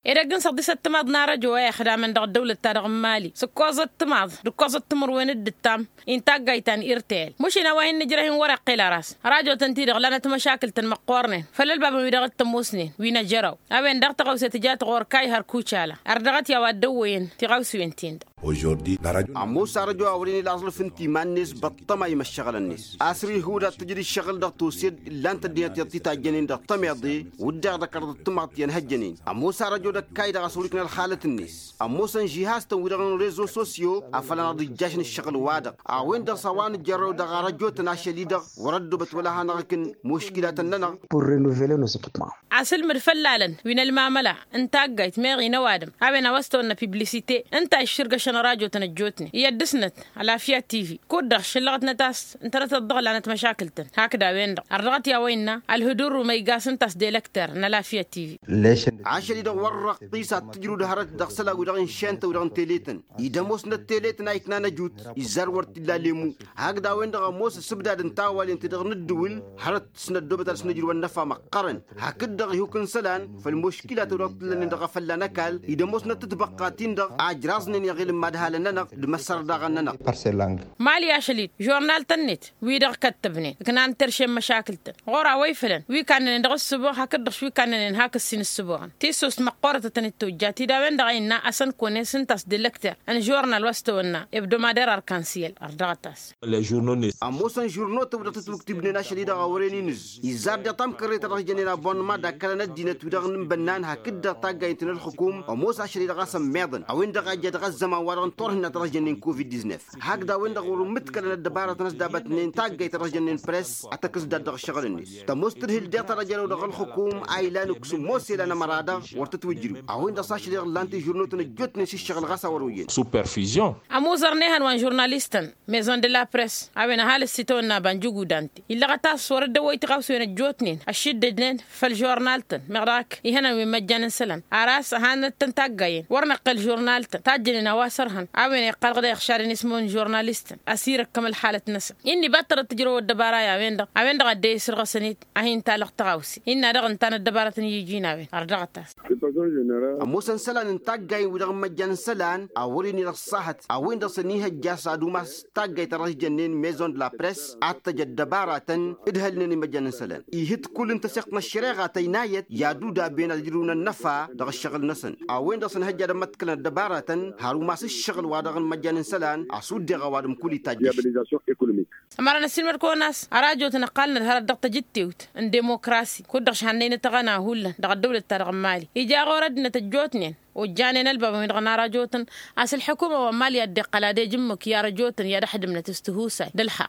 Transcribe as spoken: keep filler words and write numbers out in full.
Edăgg n-săḍisăt timaḍ n-arăjo a ixdamăn dăɣ-ăddăwlăt-ta-dăɣ n-mali s-ǝkkoẓăt timaḍ d-ǝkkoẓăt timǝrwen d-ǝttam-i n-taggayt ta n-irtayăl. Măšin a-wa hin-nǝjrăh-in wăr-iqqel a ras rajotăn-ti-dăɣ lanăt măšakǝl-tăn măqqoornen făll-ălbabăn wi dăɣ-t-ămoosnen wi n-ajăraw. A-wen-dăɣ tăɣawse tǝja-t ɣur-kayhăr kucala. Ărdăɣăt i-a-wa dd-ăwwăyăn tiɣawsiwen-tin-dăɣ. Ămoos arăjo a wăren ila aẓlǝf ǝnta iman-net băṭṭăma i-imăššăɣǝl-net. A-s ri ihud ad-tǝjǝd ǝššăɣǝl dăɣ-tose d-illan-tăn ăddinăt iyyăḍ ti tajjănen dăɣ-tămiḍe. Wǝdden dăɣ-kăraḍăt timaḍt i-ănhăjjănen ămoos arăjo d-ăkkaydăɣ a-s wăr-ikna ălxalăt-net. Ămoosăn žihaz-tăn wi-dăɣ n-rezo sosyo a făl ănăɣ-dd-ijjašăn ǝššăɣǝl-wa-dăɣ. A-wen-dăɣ s-a-wa nǝjărrăw dăɣ-arăjo-tăn ašăl-i-dăɣ wăr-ăddobăt wăla hanăɣ-ikǝn muškilatăn-nănăɣ. Pur renuvele nu s-ipǝṭṭma. Asǝlmǝd făll-alăn wi n-ălmamăla n-taggayt meɣ-i n-ăwadǝm a-wen a-wa s-tăwănna piblisite ǝnta a iššǝrgăšăn rajotăn ăjjootnen i-ad-dăr-snăt. Ălafya tivi kud-dăɣ šăllăɣătnăt a-s ǝntănătăt dăɣ-lanăt măšakǝl-tăn hakd a-wen-dăɣ ărdăɣăt i-a-wa innă ălhǝdur umăygas ǝnta a-s delăkter n-ălafya tivi. Ašăl-i-dăɣ wăr-răqqis ad-tǝjrǝw d-hărăt dăɣ-isălan-wi-dăɣ n-iššentăn-wi-dăɣ n-teletăn. Ida ămoosnăt teletăn a iknan ăjut izzar wăr t-illa lemu. Hakd a-wen-dăɣ ămoos ǝssǝbdad n-tawalen-ti-dăɣ n-ǝddǝwǝl hărăt s-năddobăt ad-dăɣ-s nǝjrǝw ănnăfa măqqărăn. Hakd-dăɣ ihuk n-isălan făll-muškilat-wi-dăɣ t-ǝllănen dăɣ-afălla n-ăkall ida ămoosnăt tibăqqa-tin-dăɣ a ǝjraẓnen i-aɣilǝm mad-halăn-nănăɣ d-imăssărdaɣăn-nănăɣ. Mali ašăl-dd žurnal-tăn-net wi-dăɣ kăttăbnen ǝknan terše n-măšakǝl-tăn ɣur-a-wa ifălăn wi kannănen dăɣ-ǝssǝboɣ hakd-dăɣ wi kannănen hak ǝssin ǝssǝboɣăn. Tissost măqqoorăt a tăn-dd-tojja ti d-a-wen-dăɣ a innă asăn kones ǝnta a-s delăkter n-žurnal wa s-tăwănna ebdomader arkansiyel ărdăɣăt-as. Ămoosăn žurnotăn wi-dăɣ tătwǝktǝbnen ašăl-i-dăɣ a wăren inǝzz izzar deḍ tamkărre ta dăɣ-s jănnen abonnăma d-akkălăn ăddinăt wi-dăɣ n-inbănnan hakd-dăɣ taggayǝn-tăn ălxǝkum. Ămoos ašăl-i-dăɣ a-s ămmiḍăn a-wen-dăɣ a ija dăɣ-ăzzăman wa-dăɣ n-turhǝnna ta dăɣ-s jănnen covid disnef. Hakd a-wen-dăɣ wăr-ǝmmǝḍkălăn ăddăbarătăn a-s dabătnen taggayt ta dăɣ-s jănnen press ad-tăkǝs dat-dăɣ ǝššăɣǝl-net. Tămoos tǝdhǝl deɣ ta dăɣ-jărăw dăɣ-ălxǝkum a ilan ǝksu ămoos elan ămăra-dăɣ wăr tăt-wǝjrǝw a-wen-dăɣ s-ašăl-i-dăɣ ǝllan-t i-žurnotăn ăjjootnen s-ǝššăɣǝl ɣas a wăr-oyyăn. Ămuẓăr n-ehăn wa n-žurnalist-tăn maison de la press a-wen ăhalǝs itawănna ăba n-jugudante illăɣăt a-s wăr dd-ăwwăy tiɣawsiwen ăjjootnen ăššiddăjnen făll-žurnal-tăn meɣ dăɣ-ak ihănan wi n-măjjan n-isălan. Ar a-s ăhanăt-tăn taggayen wăr năqqel žurnal-tăn tajjănen a-wa s-ărhăn a-wen iqqălăɣ dăɣ-iɣšad n-ismon žurnalist-tăn ăsirăkkăm ălxalăt-năsăn. Inn'-i battărăt tǝjrăw ăddăbara i-a-wen-dăɣ a-wen-dăɣ a dd-e-isǝrɣǝsăn-dd a hin-talăɣ tiɣawse innă dăɣ-ǝnta n-ăddăbarătăn i-iji n-a-wen. Ărdăɣăt-as. Ămoosăn isălan n-taggayen wi-dăɣ n-imăjjan n-isălan a wăren-in ăṣṣahăt a-wen-dăɣ s-ănihăjja s-ad-umas taggayt ta dăɣ-s jănnen maison de la press ad-tăj ăddăbaratăn ǝdhălnen imăjjan n-isălan. Ihǝd kull n-tăseɣt n-ăššăreɣa tăynayăt i-ad-udaben ad-ǝjrǝwăn ănnăfa dăɣ-ǝššăɣǝl-năsăn. A-wen-dăɣ s-ănhăjja ad-ămmăḍkălăn ăddăbaratăn har umas ǝššăɣǝl wa dăɣ-n imăjjan n-isălan a-s uddeɣ ăwadǝm kull itajjăš. Ămărăn ăssiilmăd-kăwăn a-s arajotăn ăqqalnăt hărăt dăɣ-tajǝttewt n-demokrasi kud-dăɣ šhannăynăt aɣăna hullan dăɣ-ăddăwlăt-ta-dăɣ n-mali ija ɣur-ăddinăt ăjjootnen ojjanen ălbabăn-wi-dăɣ n-arajotăn. A-s ǝlḥǝkuma wa n-mali a dd-iqqăl ad-ej ǝmmǝk i-arajotăn i-ad-ăḥdǝmnăt s-tihusay d-ǝlxaqq.